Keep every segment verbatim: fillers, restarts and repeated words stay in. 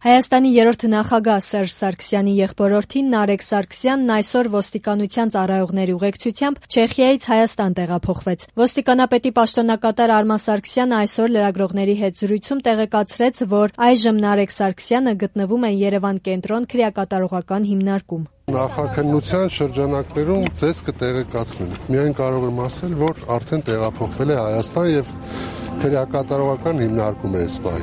Հայաստանի երրորդ նախագահ Սերժ Սարգսյանի եղբորորդին Նարեկ Սարգսյանն այսօր ոստիկանության ծառայողների ուղեկցությամբ Չեխիայից Հայաստան տեղափոխվեց։ Ոստիկանապետի պաշտոնակատար Արման Սարգսյանը այսօր լրագրողների հետ զրույցում տեղեկացրեց, որ այժմ Նարեկ Սարգսյանը գտնվում է Երևան կենտրոն քրեակատարողական հիմնարկում։ Նախաքննության շրջանակներում ձեզ կտեղեկացնեմ։ Միայն կարող եմ ասել, որ արդեն տեղափոխվել է Հայաստան եւ քրեակատարողական հիմնարկում է սպայ։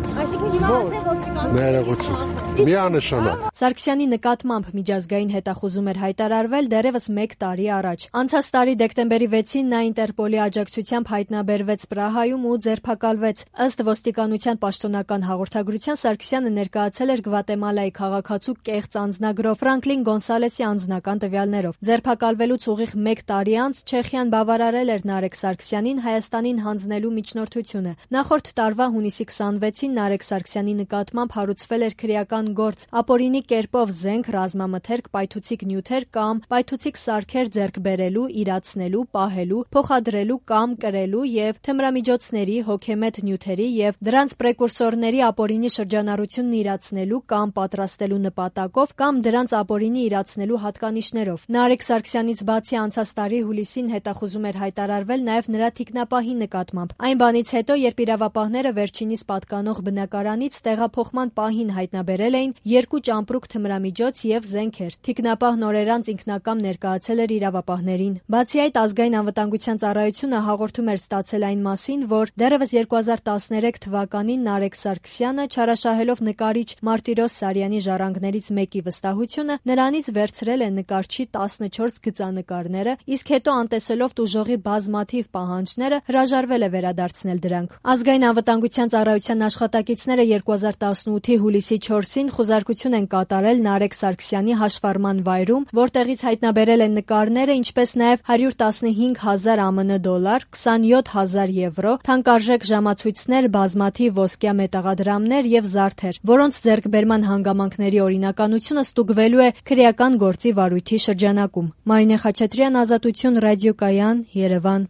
Ներողություն։ Միանշանակ։ Սարգսյանի նկատմամբ միջազգային հետախուզում էր հայտարարվել դեռևս մեկ տարի առաջ։ Անցած տարի դեկտեմբերի վեցին նա Ինտերպոլի աջակցությամբ հայտնաբերվեց Պրահայում ու ձերբակալվեց։ Ըստ ոստիկանության պաշտոնական հաղորդագրության Սարգսյանը ներկայացել էր Գվատեմալայի քաղաքացու կեղծ անձնագրով Ֆրանկլին Գոնսալեսի անձնական տվյալներով։ Ձերբակալվելուց ուղիղ մեկ տարի անց Չեխիան բավարարել էր Նարեկ Սարգսյանին Հայաստանին հանձնելու միջնորդությունը։ Նախորդ տարվա հունիսի քսանվեցին Նարեկ Սարգսյանի նկատմամբ հարուցվել էր քրեական գործ ապօրինի կերպով զենք, ռազմամթերք, պայթուցիկ նյութեր կամ պայթուցիկ սարքեր ձեռք բերելու, իրացնելու, պահելու, փոխադրելու կամ կրելու եւ թմրամիջոցների, հոգեմետ նյութերի եւ դրանց պրեկուրսորների ապօրինի շրջանառությունն իրացնելու կամ պատրաստելու նպատակով կամ դրանց ապօրինի իրացնելու հատկանիշներով։ Նարեկ Սարգսյանից բացի անցած տարի հուլիսին հետախուզում էր հայտարարվել նաեւ նրա թիկնապահի նկատմամբ։ Այն բանից հետո, երբ իրավապահները վերջինիս պատկանող բնակարանից տեղափոխման պահին հայտնաբերել էին երկու ճամպրուկ թմրամիջոց եւ զենքեր։ Թիկնապահ նորերանց ինքնակամ ներկայացել էր իրավապահներին։ Բացի այդ, ազգային անվտանգության ծառայությունը հաղորդում էր ստացել այն մասին, որ դեռևս երկու հազար տասներեք թվականին Նարեկ Սարգսյանը չարաշահելով նկարիչ Մարտիրոս Սարյանի ժառանգներից մեկի վստահությունը նրանից վերցրել է նկարչի տասնչորս գծանկարները, իսկ հետո անտեսելով տուժողի բազմաթիվ պահանջները հրաժարվել է վերադարձնել դրանք։ Ազգային անվտանգության ծառայության աշխատակիցները երկու հազար տասնութի հուլիսի չորսին խուզարկություն են կատարել Նարեկ Սարգսյանի հաշվառման վայրում, որտեղից հայտնաբերել են նկարները, ինչպես նաև հարյուր տասնհինգ հազար ԱՄՆ դոլար, քսանյոթ հազար եվրո, թանկարժեք ժամացույցներ, բազմաթիվ ոսկյա մետաղադրամներ եւ զարդեր, որոնց ձեռքբերման հանգամանքների օրինականությունը ստուգվելու է քրեական գործի վարույթի շրջանակում։ Մարինե Խաչատրյան, Ազատություն, ռադիոկայան, Երևան։